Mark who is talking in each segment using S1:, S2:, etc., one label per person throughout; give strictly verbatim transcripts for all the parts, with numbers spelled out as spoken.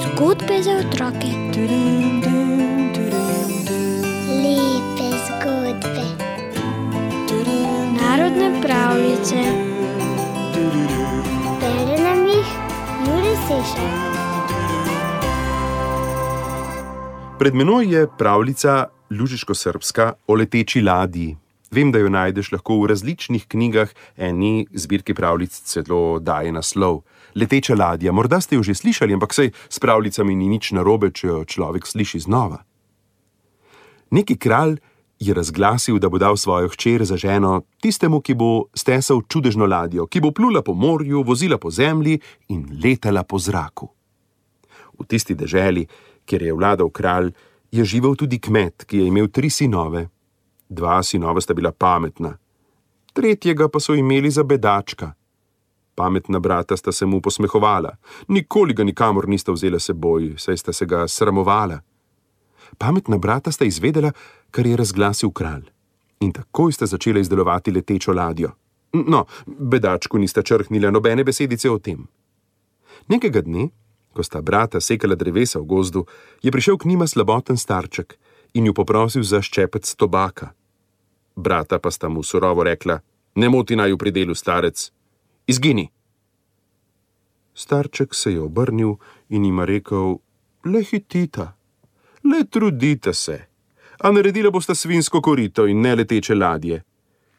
S1: Zgodbe za otroke.
S2: Lepe zgodbe.
S1: Narodne pravljice.
S2: Bere nam jih Jure Sešar.
S3: Pred menoj je pravljica lužiško-srbska o leteči ladji. Vem, da jo najdeš lahko v različnih knjigah, eni zbirki pravljic celo daje naslov Leteča ladja. Morda ste jo že slišali, ampak saj s pravljicami ni nič narobe, če jo človek sliši znova. Neki kralj je razglasil, da bo dal svojo hčer za ženo tistemu, ki bo stesal čudežno ladjo, ki bo plula po morju, vozila po zemlji in letala po zraku. V tisti deželi, kjer je vladal kralj, je živel tudi kmet, ki je imel tri sinove. Dva sinova sta bila pametna, tretjega pa so imeli za bedačka. Pametna brata sta se mu posmehovala, nikoli ga nikamor nista vzela seboj, saj sta se ga sramovala. Pametna brata sta izvedela, kar je razglasil kralj, in takoj sta začela izdelovati letečo ladjo. No, bedačku nista črhnila nobene besedice o tem. Nekega dne, ko sta brata sekala drevesa v gozdu, je prišel k njima slaboten starček in ju poprosil za ščepec tobaka. Brata pa sta mu surovo rekla: ne moti naju pri delu, starec, izgini. Starček se je obrnil in jima rekel: le hitita, le trudite se, a naredila bosta svinsko korito in ne leteče ladje.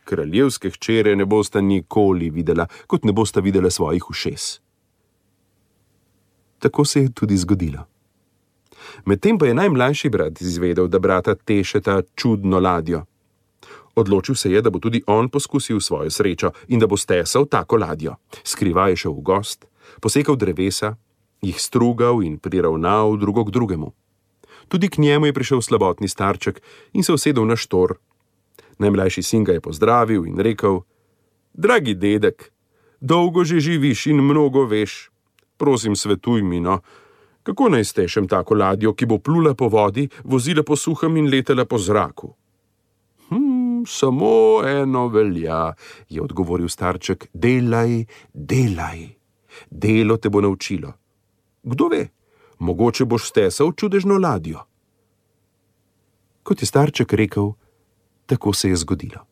S3: Kraljevske hčere ne bosta nikoli videla, kot ne bosta videla svojih ušes. Tako se je tudi zgodilo. Medtem pa je najmlajši brat izvedel, da brata tešeta čudno ladjo. Odločil se je, da bo tudi on poskusil svojo srečo in da bo stesal tako ladjo. Skrivaj je šel v gost, posekal drevesa, jih strugal in priravnal drugo k drugemu. Tudi k njemu je prišel slabotni starček in se usedel na štor. Najmlajši sin ga je pozdravil in rekel: dragi dedek, dolgo že živiš in mnogo veš. Prosim, svetuj mi, no, kako naj stešem tako ladjo, ki bo plula po vodi, vozila po suhem in letela po zraku? Hm, samo eno velja, je odgovoril starček: delaj, delaj. Delo te bo naučilo. Kdo ve, mogoče boš stesal čudežno ladjo. Kot je starček rekel, tako se je zgodilo.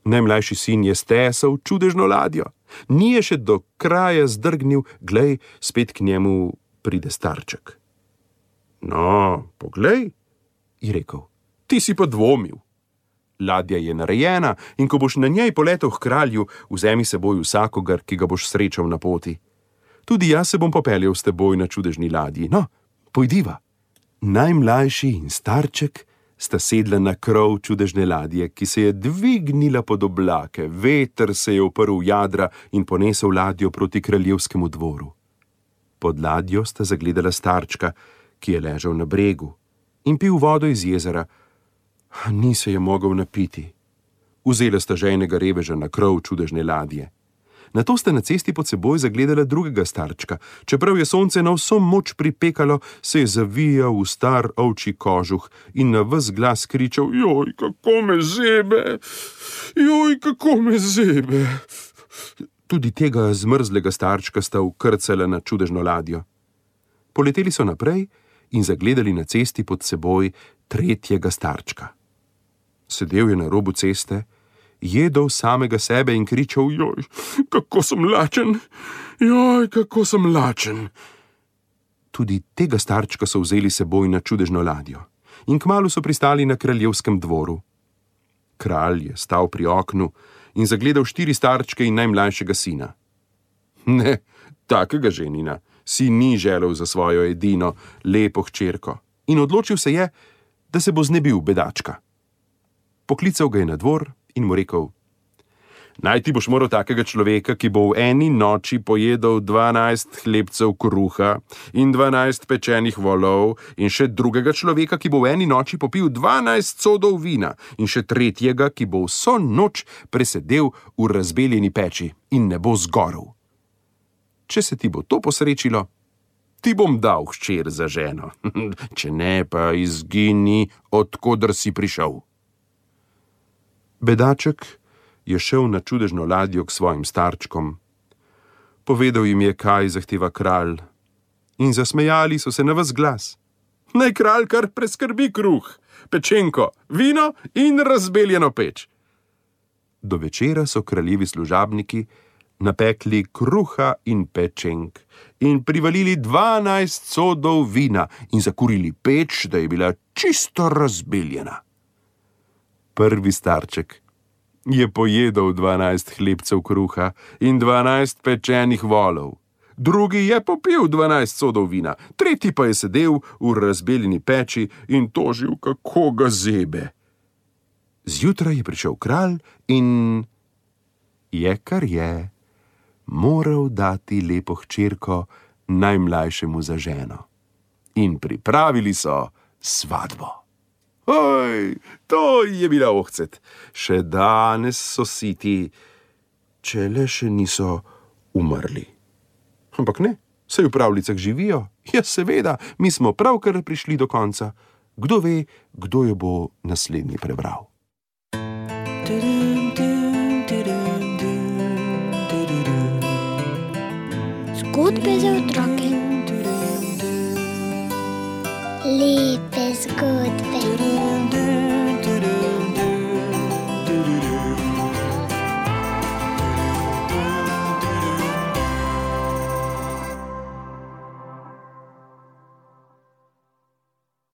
S3: Najmlajši sin je stesal čudežno ladjo. Ni je še do kraja zdrgnil, glej, spet k njemu pride starček. No, poglej, je rekel, ti si pa dvomil. Ladja je narejena in ko boš na njej poletel k kralju, vzemi seboj vsakogar, ki ga boš srečal na poti. Tudi jaz se bom popeljal s teboj na čudežni ladji. No, pojdiva. Najmlajši in starček sta sedla na krov čudežne ladje, ki se je dvignila pod oblake, veter se je uprl v jadra in ponesel ladjo proti kraljevskemu dvoru. Pod ladjo sta zagledala starčka, ki je ležal na bregu in pil vodo iz jezera. Ni se je mogel napiti. Vzela sta ženega reveža na krov čudežne ladje. Nato sta na cesti pod seboj zagledala drugega starčka. Čeprav je sonce na vso moč pripekalo, se je zavijal v star ovčji kožuh in na ves glas kričal: joj, kako me zebe, joj, kako me zebe. Tudi tega zmrzlega starčka sta vkrcala na čudežno ladjo. Poleteli so naprej in zagledali na cesti pod seboj tretjega starčka. Sedel je na robu ceste, jedel samega sebe in kričal: joj, kako sem lačen, joj, kako sem lačen. Tudi tega starčka so vzeli seboj na čudežno ladjo in kmalu so pristali na kraljevskem dvoru. Kralj je stal pri oknu in zagledal štiri starčke in najmlajšega sina. Ne, takega ženina si ni želel za svojo edino, lepo hčerko in odločil se je, da se bo znebil bedačka. Poklical ga je na dvor in mu rekel: najti boš moral takega človeka, ki bo v eni noči pojedel dvanajst hlebcev kruha in dvanajst pečenih volov, in še drugega človeka, ki bo v eni noči popil dvanajst sodov vina, in še tretjega, ki bo vso noč presedel v razbeljeni peči in ne bo zgorel. Če se ti bo to posrečilo, ti bom dal hčer za ženo, če ne pa izgini, od koder si prišel. Bedaček je šel na čudežno ladjo k svojim starčkom, Povedal jim je, kaj zahteva kralj, in zasmejali so se na ves glas. Naj kralj kar preskrbi kruh, pečenko, vino in razbeljeno peč. Do večera so kraljevi služabniki napekli kruha in pečenk in privalili dvanajst sodov vina in zakurili peč, da je bila čisto razbeljena. Prvi starček je pojedel dvanajst hlebcev kruha in dvanajst pečenih volov. Drugi je popil dvanajst sodov vina, tretji pa je sedel v razbeljeni peči in tožil, kako ga zebe. Zjutraj je prišel kralj in je, kar je, moral dati lepo hčerko najmlajšemu za ženo. In pripravili so svatbo. Oj, to je bila ohcet. Še danes so siti, če le še niso umrli. Ampak ne, saj v pravljicah živijo. Ja, seveda, mi smo pravkar prišli do konca. Kdo ve, kdo jo bo naslednji prebral.
S1: Zgodbe za otroke.
S2: Lepe zgodbe.